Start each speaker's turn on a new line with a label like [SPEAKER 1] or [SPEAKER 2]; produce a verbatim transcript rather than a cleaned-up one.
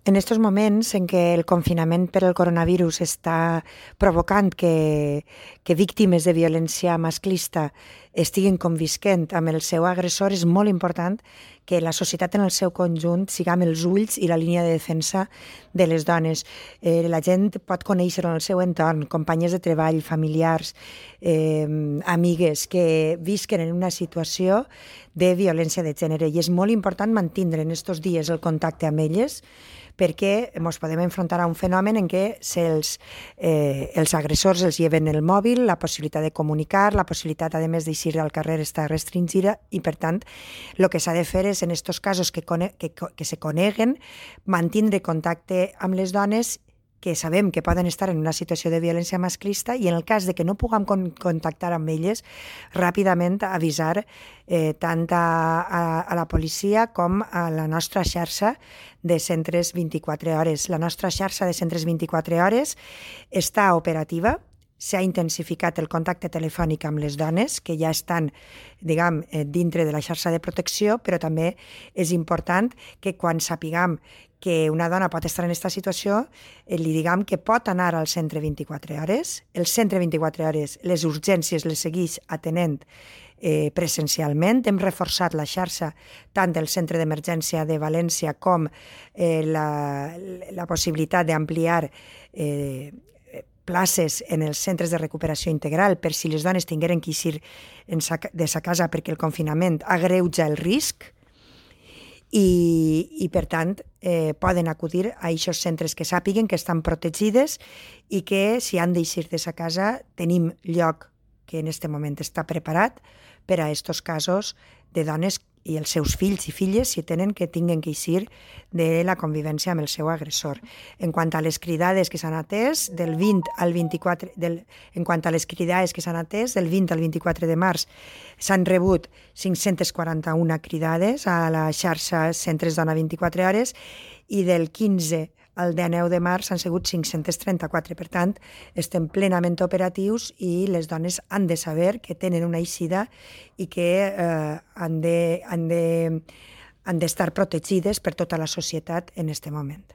[SPEAKER 1] En estos moments en què el confinament per el coronavirus està provocant que, que víctimes de violència masclista estiguin convisquent amb el seu agressor, és molt important que la societat en el seu conjunt siguem els ulls i la línia de defensa de les dones. Eh, la gent pot conèixer en el seu entorn, companyes de treball, familiars, eh, amigues que visquen en una situació de violència de gènere, i és molt important mantindre en aquests dies el contacte amb elles, perquè ens podem enfrontar a un fenomen en què els, eh, els agressors els lleven el mòbil, la possibilitat de comunicar, la possibilitat, a més, d'eixir al carrer està restringida, i per tant el que s'ha de fer és, en aquests casos que, que, que se coneguen, mantindre contacte amb les dones que sabem que poden estar en una situació de violència masclista, i en el cas de que no puguem con contactar amb elles, ràpidament avisar eh, tant a, a, a la policia com a la nostra xarxa de centres vint-i-quatre hores. La nostra xarxa de centres vint-i-quatre hores està operativa, s'ha intensificat el contacte telefònic amb les dones que ja estan, diguem, dintre de la xarxa de protecció, però també és important que quan sapiguem que una dona pot estar en aquesta situació, eh, li diguem que pot anar al centre vint-i-quatre hores. El centre vint-i-quatre hores, les urgències les segueix atenent eh, presencialment. Hem reforçat la xarxa tant del centre d'emergència de València com eh, la, la possibilitat d'ampliar eh, places en els centres de recuperació integral per si les dones tingueren que eixir de sa casa perquè el confinament agreuja el risc, i, i per tant eh, poden acudir a aquests centres que sàpiguen que estan protegides i que si han d'eixir de sa casa tenim lloc que en aquest moment està preparat per a aquests casos de dones i els seus fills i filles, si tenen que tinguen que eixir de la convivència amb el seu agressor. En quant a les cridades que s'han atès, del vint al vint-i-quatre, del, en quant a les cridades que s'han atès, del vint al vint-i-quatre de març s'han rebut cinc-centes quaranta-una cridades a la xarxa Centres Dona vint-i-quatre hores, i del quinze el dinou de març han sigut cinc-centes trenta-quatre. Per tant, estem plenament operatius i les dones han de saber que tenen una eixida i que eh, han de, han de, han d'estar protegides per tota la societat en aquest moment.